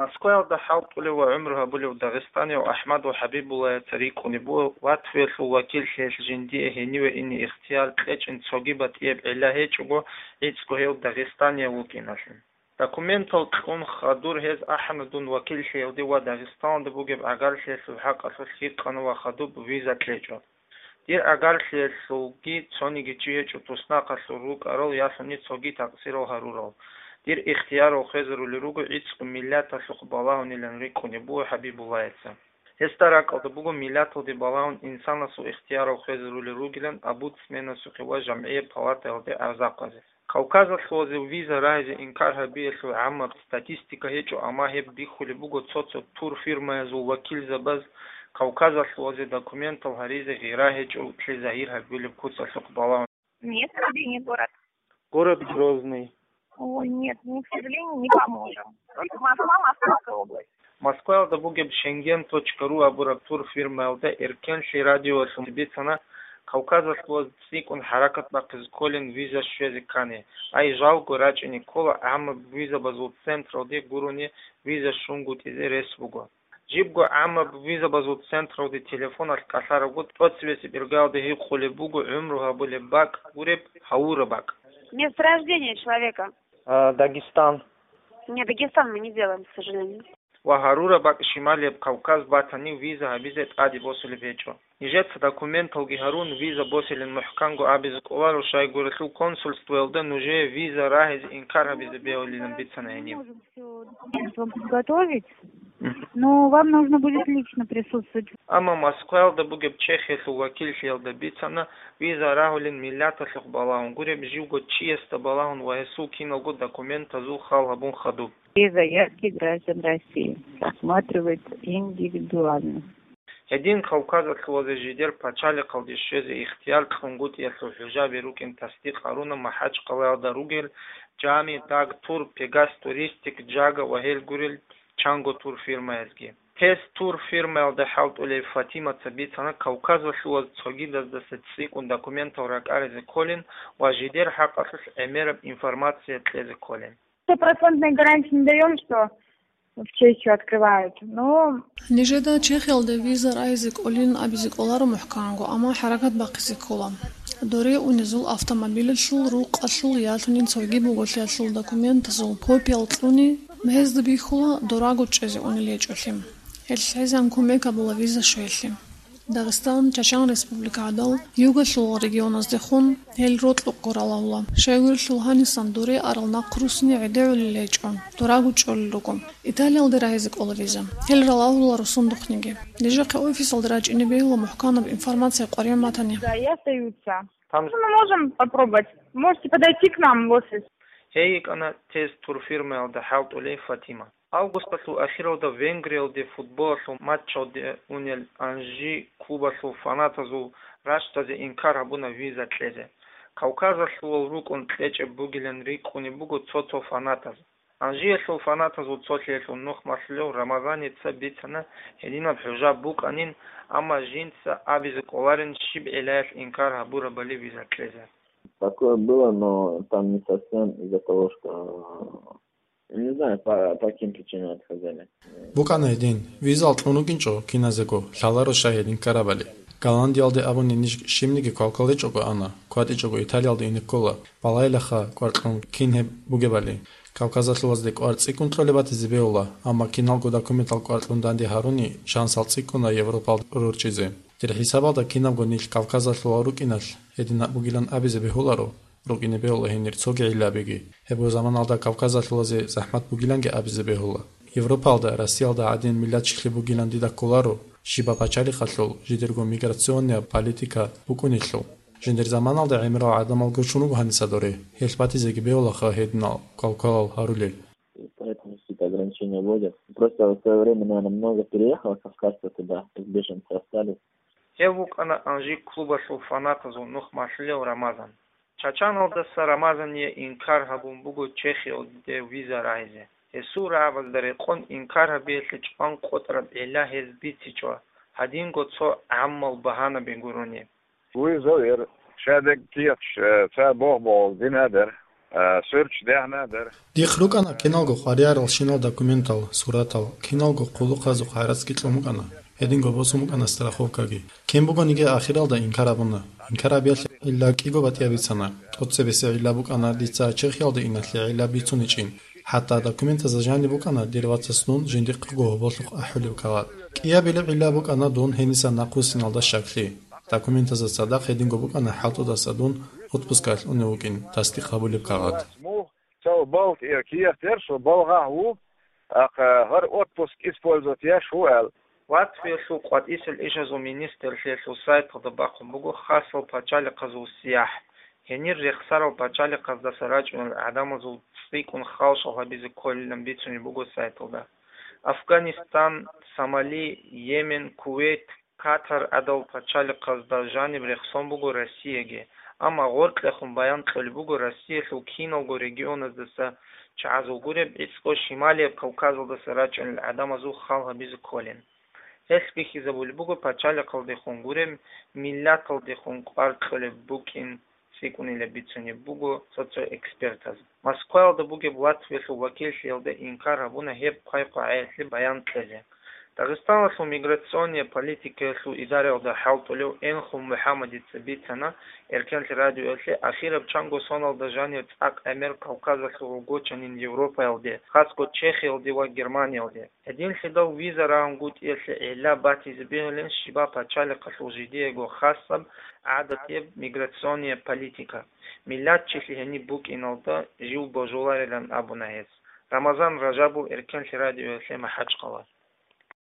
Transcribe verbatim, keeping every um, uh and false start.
Москваялда хӀалтӀулев ва гӀумру гьабулев дагъистанияв АхӀмад ва ХӀабибуллаяца рикӀкӀунеб буго, ватфуялъул вакиллъиялъ жиндие гьениве ине ихтияр кьечӀин цоги батӀияб гӀилла гьечӀого, гӀицӀго гьев дагъистанияв вукӀиналъе. Документал кьун хадур гьез ахӀана дун вакиллъиялде ва Дагъистаналда бугеб гӀагарлъиялъул хӀакъалъулъ гьикъана ва хадуб виза кьечӀо. Дир гӀагарлъиялъулги цониги чи гьечӀо туснахъалъур рукӀарал ялъуни цоги такъсирал гьарурал. Дир ихтиярал хвезарули руго гӀицӀго миллаталъухъ балагьунилан рикӀкӀунеб буго ХӀабибуллаяца. Гьесда ракӀалда буго миллаталде балагьун инсанасул ихтиярал хвезарули ругилан омбудсменасухъе ва жамгӀияб палатаялде гӀарзахъазе. Кавказалъулазе виза рагьизе инкар гьабиялъул гӀаммаб статистика гьечӀо, амма гьеб бихьулеб буго цо-цо турфирмаязул вакилзабаз Кавказалъулазе документал гьаризе гъира гьечӀолъи загьир гьабулеб куцалъухъ балагьун. Нет, Грозный город. Город Грозный. О, нет, мы, к сожалению, не поможем. Только Москва, Московская область. Москваялда бугеб Шенген точка ру абураб турфирмаялда эркенлъи радиоялъ бицана, Кавказалъулаз цӀикӀкӀун хӀаракат бахъизе кколин виза щвезе ккани, ай жалго рачӀине ккола, гӀаммаб визабазул централде гурони виза щунгутӀизе рес буго. Жибго гӀаммаб визабазул централде телефоналъ кӀалъарабго тӀоцебесеб иргаялда гьикъулеб буго гӀумру гьабулеб бакӀ гуреб, гьавураб бакӀ. Месторождение человека. А, Дагестан. Нет, Дагестан мы не делаем, к сожалению. Ва гьарураб бакӀ Шималияб Кавказ батани виза гьабизе тӀаде босулеб гьечӀо. Нижеца документалги гьарун, виза босилин мухӀканго абизе кӀоларо, щайгурелъул консульствоялда нужее виза рагьизе инкар гьабизе бегьулилан бицана гьениб. Можем всё документы вам подготовить, Мгм. но вам нужно будет лично присутствовать. Амма Москваялда бугеб Чехиялъул вакиллъиялда бицана, виза рагьулин миллаталъухъ балагьун гуреб, живго чиясда балагьун ва гьесул киналго документазул хал гьабун хадуб. Все заявки граждан России рассматривается индивидуально. Гьедин Кавказалъулазе жидер пачалихъалде щвезе ихтияр кьунгутӀиялъул хӀужаби рукӀин тасдикъ гьаруна МахӀачкъалаялда ругел Жами, Даг Тур, Пегас Туристик, Жага ва гьел гурел чанго турфирмаязги. Тест турфирмаялда хӀалтӀулев Фатимаца бицана, Кавказалъулаз цогидаздаса цӀикӀкӀун документал ракӀаризе кколин ва жидер хӀакъалъулъ гӀемераб информация кьезе кколин. Стопроцентной гарантии не даём, что в Чехию открывают, но Нижеда Чехиялде виза рагьизе кӀолин абизе кӀоларо мухӀканго, амма хӀаракат бахъизе ккола. Доре унезул автомобилалъул рукъалъул ялъунин цоги буголъиялъул документазул копиял кьуни, гьезда бихьула дораго чӀезе унел гьечӀолъи. Гьелъ гьезан кумек гьабула виза щвеялъе. Дагъистан, Чачан Республика гӀадал, югалъул регионаздехун гьел рокьукъго ралагьула. Щайгурелъул гьанисан доре арал нахъ руссине гӀедегӀулел гьечӀо, дораго чӀолел руго. Италиялде рагьизе кӀола виза. Гьел ралагьула росундухъниги. Нижехъе офисалда рачӀине бегьула мухӀканаб информация къваригӀун батани. Да, и остаются. Там Мы можем попробовать. Можете подойти к нам в офис. Гьей йикӀана тест турфирмаялда хӀалтӀулей Фатима. Августалъул ахиралда Венгриялде футболалъул матчалде унел Анжи клубалъул фанатазул рачтазе инкар гьабуна виза кьезе. Кавказалъулал рукӀун кьечӀеб бугилан рикӀкӀунеб буго цо-цо фанатаз. Анжиялъул фанатазул цолъиялъул нухмалъулев Рамазаница бицана гьединаб хӀужаб букӀанин, амма жинца абизе кӀоларин щиб гӀиллаялъ инкар гьабурабали виза кьезе. Такое было, но там не совсем из-за того, что, не знаю, по, по каким причинам отказали. БукӀана гьедин, визал кьун рукӀинчӀо киназего, лъаларо щай гьедин ккарабали. Голландиялде абуни ниж щибниги квалквал гьечӀого ана, кватӀичӀого Италиялде ине ккола, балайилаха кӀвар кьун кин гьеб бугебали. Кавказалъулазде кӀвар цӀикӀкӀун кьолеб батизе бегьула, амма киналго документал кӀвар кьун данде гьаруни шансал цӀикӀкӀуна Европалда рорчӀизе. Дир хӀисабалда кинабго нилъ Кавказалъулал рукӀиналъ гьединаб бугилан абизе бегьуларо. РукӀине бегьула гьенир цоги гӀиллабиги. Гьебго заманалда Кавказалъулазе захӀмат бугиланги абизе бегьула. Европалда, Россиялда гӀадин миллатчилъи бугилан дида кколаро, щибаб пачалихъалъул жидерго миграционнияб политика букӀунелъул. Жиндир заманалда гӀемерал гӀадамал гучун руго гьаниса доре, гьелъ батизеги бегьулаха гьединал квалквалал гьарулел. Поэтому какие-то ограничения вводят. Просто в свое время, наверное, много переехало кавказцев туда, как беженцы остались. Гьев вукӀана Анжи клубалъул фанатазул нухмалъулев Рамазан. Чачаналдаса Рамазание инкар гьабун буго Чехиялде виза рагьизе. Гьесул рагӀабазда рекъон инкар гьабиялъе чӀван къотӀараб гӀилла гьез бицичӀо, гьадинго цо гӀаммал багьанаби гурони. Визовер шадек кияч, э, ца богъ-богъ динадер. А, сверч дягьна дар. Дихъ рукӀана киналго хвариярал щинал документал, суратал, киналго хъулухъазухъ гӀарацги кьун букӀана, гьединго босун букӀана страховкаги. Кин бугониги ахиралда инкар абуна. Инкар абиялъе гӀилла кӀиго батӀияб бицана. ТӀоцебесеб гӀилла букӀана дица Чехиялде иналъе гӀилла бицуничӀин. ХӀатта документазда жаниб букӀана дир вацас дун жиндихъего гьоболлъухъ ахӀулеб кагъат. КӀиабилеб гӀилла букӀана дун гьениса нахъвуссиналда щаклъи. Документазда цадахъ гьединго букӀана хӀалтӀудаса дун отпускалъ унев вукӀин тасдикъ гьабулеб кагъат. Цо балт ир киех дерсу балгъагь ву, ахъа гьар отпуск использовать яш ву эл. Латвиялъул къватӀисел ишазул министрлъиялъул сайталда бахъун буго хасал пачалихъазул сияхӀ, гьенир рехсарал пачалихъаздаса рачӀунел гӀадамазул цӀикӀкӀун халшал гьабизе кколилан бицунеб буго сайталда. Афганистан, Сомали, Йемен, Кувейт, Катар гӀадал пачалихъазда жаниб рехсон буго Россияги, амма гъоркьехун баян кьолеб буго Россиялъул киналго регионаздаса чагӀазул гуреб гӀицӀго Шималияб Кавказалдаса рачӀунел гӀадамазул хал гьабизе кколин. Гьелъ бихьизабулеб буго пачалихъалдехун гуреб миллаталдехун кӀвар кьолеб букӀин цӀикӀкӀунилан бицунеб буго цо-цо экспертаз. Москваялда бугеб Латвиялъул вакиллъиялда инкар гьабуна гьеб хъвай-къвагӀаялъе баян кьезе. Дагъистаналъул миграционная политикаялъул идараялда хӀалтӀулев Энхун МухӀаммадица бицана Эркенлъи радиоялъе ахираб чанго соналда жанир цӀакъ гӀемер Кавказалъул гъугочанин Европаялде, хасго Чехиялде ва Германиялде. Гьединлъидал виза рагьунгутӀиялъе гӀилла батизе бегьулин щибаб пачалихъалъул жидеего хасаб гӀадатияб миграционная политика, миллатчилъи гьениб букӀиналда жив божуларилан абуна гьес. Рамазан Ражабов, Эркенлъи радиоялъе МахӀачхъала.